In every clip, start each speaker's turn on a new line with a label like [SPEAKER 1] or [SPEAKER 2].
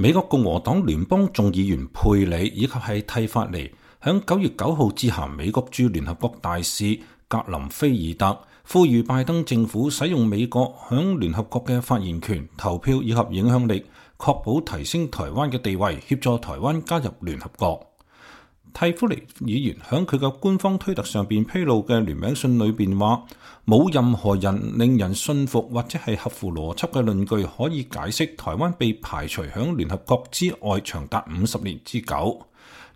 [SPEAKER 1] 美國共和黨聯邦眾議員佩里以及係蒂法尼響9月9號致函美國駐聯合國大使格林菲爾德，呼籲拜登政府使用美國響聯合國嘅發言權、投票以及影響力，確保提升台灣嘅地位，協助台灣加入聯合國。蒂夫尼議員響佢嘅官方推特上邊披露嘅聯名信裏邊話，冇任何人令人信服或者係合乎邏輯嘅論據可以解釋台灣被排除響聯合國之外長達50年之久。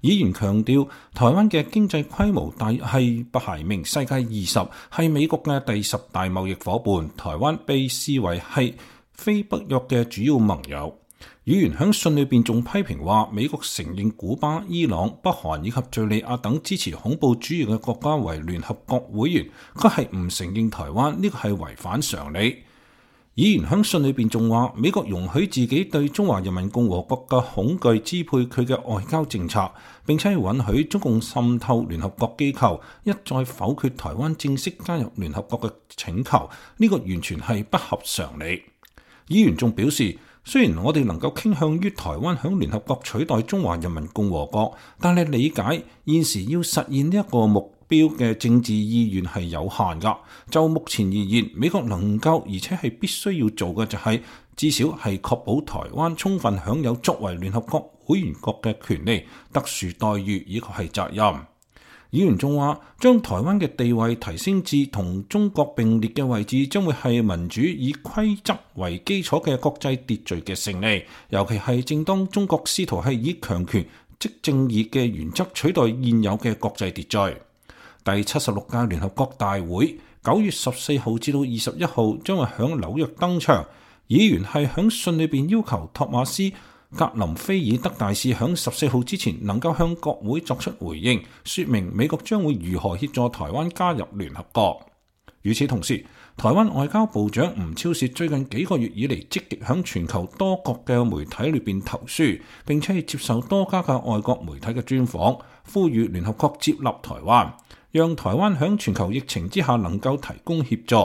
[SPEAKER 1] 議員強調，台灣嘅經濟規模係排名世界20，係美國嘅第10大貿易夥伴，台灣被視為係非北約嘅主要盟友。議員喺信裏邊仲批評話，美國承認古巴、伊朗、北韓以及敘利亞等支持恐怖主義嘅國家為聯合國會員，佢係唔承認台灣，呢個係違反常理。議員喺信裏邊仲話，美國容許自己對中華人民共和國嘅恐懼支配佢嘅外交政策，並且允許中共滲透聯合國機構，一再否決台灣正式加入聯合國嘅請求，呢個完全係不合常理。議員仲表示，雖然我哋能夠傾向於台灣響聯合國取代中華人民共和國，但係理解現時要實現呢一個目標嘅政治意願係有限噶。就目前而言，美國能夠而且係必須要做嘅就係，至少係確保台灣充分享有作為聯合國會員國嘅權利、特殊待遇以及係責任。議員仲話，將台灣嘅地位提升至同中國並列嘅位置，將會係民主以規則為基礎嘅國際秩序嘅勝利。尤其係正當中國試圖係以強權即正義嘅原則取代現有嘅國際秩序。第76屆聯合國大會9月14號至到21號將會響紐約登場。議員係響信裏邊要求托馬斯格林菲爾德大使響14號之前能夠向國會作出回應，說明美國將會如何協助台灣加入聯合國。與此同時，台灣外交部長吳釗燮最近幾個月以嚟積極響全球多國嘅媒體裏邊投書，並且係接受多家嘅外國媒體嘅專訪，呼籲聯合國接納台灣，讓台灣響全球疫情之下能夠提供協助。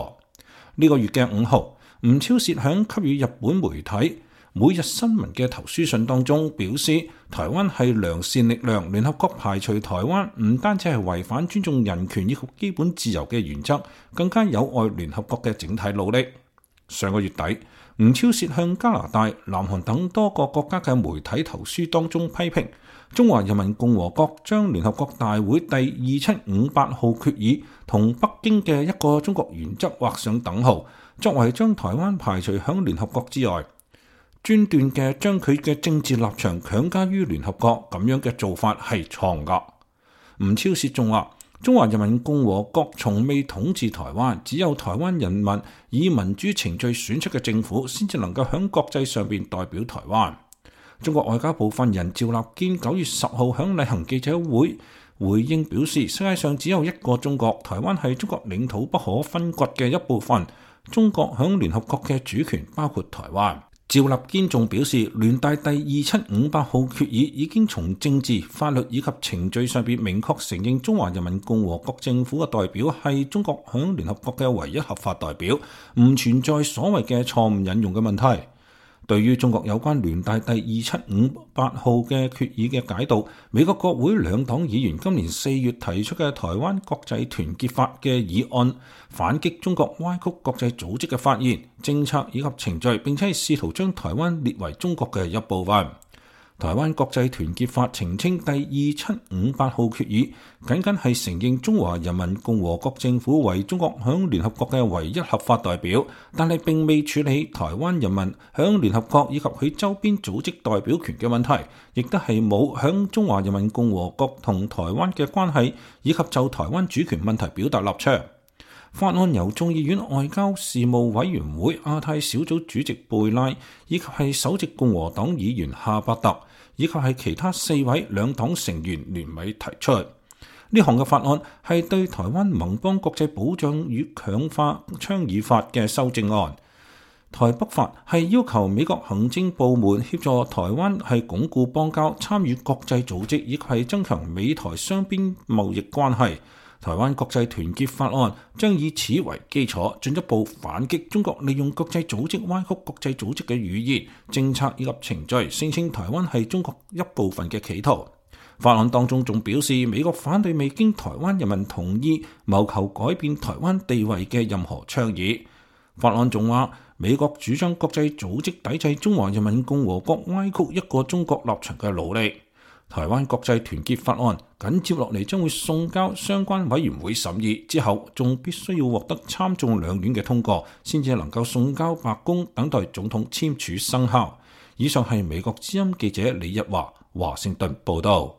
[SPEAKER 1] 呢個月嘅5號，吳釗燮響給予日本媒體每日新聞嘅投書信當中表示，台灣係良善力量，聯合國排除台灣唔單止係違反尊重人權以及基本自由嘅原則，更加有礙聯合國嘅整體努力。上個月底，吳釗燮向加拿大、南韓等多個國家嘅媒體投書當中批評，中華人民共和國將聯合國大會第2758號決議同北京嘅一個中國原則畫上等號，作為將台灣排除響聯合國之外，專斷嘅將佢嘅政治立場強加於聯合國，咁樣嘅做法係錯噶。吳釗燮仲話，中華人民共和國從未統治台灣，只有台灣人民以民主程序選出嘅政府，先至能夠響國際上邊代表台灣。中國外交部發言人趙立堅9月10號響例行記者會回應表示，世界上只有一個中國，台灣係中國領土不可分割嘅一部分，中國響聯合國嘅主權包括台灣。趙立堅仲表示，聯大第2758號決議已經從政治、法律以及程序上邊明確承認中華人民共和國政府嘅代表係中國響聯合國嘅唯一合法代表，唔存在所謂嘅錯誤引用嘅問題。對於中國有關聯大第2758號嘅決議嘅解讀，美國國會兩黨議員今年4月提出嘅台灣國際團結法嘅議案，反擊中國歪曲國際組織嘅發言、政策以及程序，並且係試圖將台灣列為中國嘅一部分。台灣國際團結法澄清第2758號決議僅僅係承認中華人民共和國政府為中國響聯合國嘅唯一合法代表，但係並未處理台灣人民響聯合國以及佢周邊組織代表權嘅問題，亦都係冇響中華人民共和國同台灣嘅關係以及就台灣主權問題表達立場。法案由眾議院外交事務委員會亞太小組主席貝拉，以及係首席共和黨議員夏伯特，以及係其他4位兩黨成員聯名提出。呢項嘅法案係對台灣盟邦國際保障與強化倡議法嘅修正案。台北法係要求美國行政部門協助台灣係鞏固邦交、參與國際組織，以及係增強美台雙邊貿易關係。台灣國際團結法案將以此為基礎，進一步反擊中國利用國際組織歪曲國際組織嘅語言、政策以及程序，聲稱台灣係中國一部分嘅企圖。法案當中仲表示，美國反對未經台灣人民同意謀求改變台灣地位嘅任何倡議。法案仲話，美國主張國際組織抵制中華人民共和國歪曲一個中國立場嘅努力。台灣國際團結法案緊接落嚟將會送交相關委員會審議，之後仲必須要獲得參眾兩院嘅通過，先至能夠送交白宮等待總統簽署生效。以上係美國之音記者李日華華盛頓報道。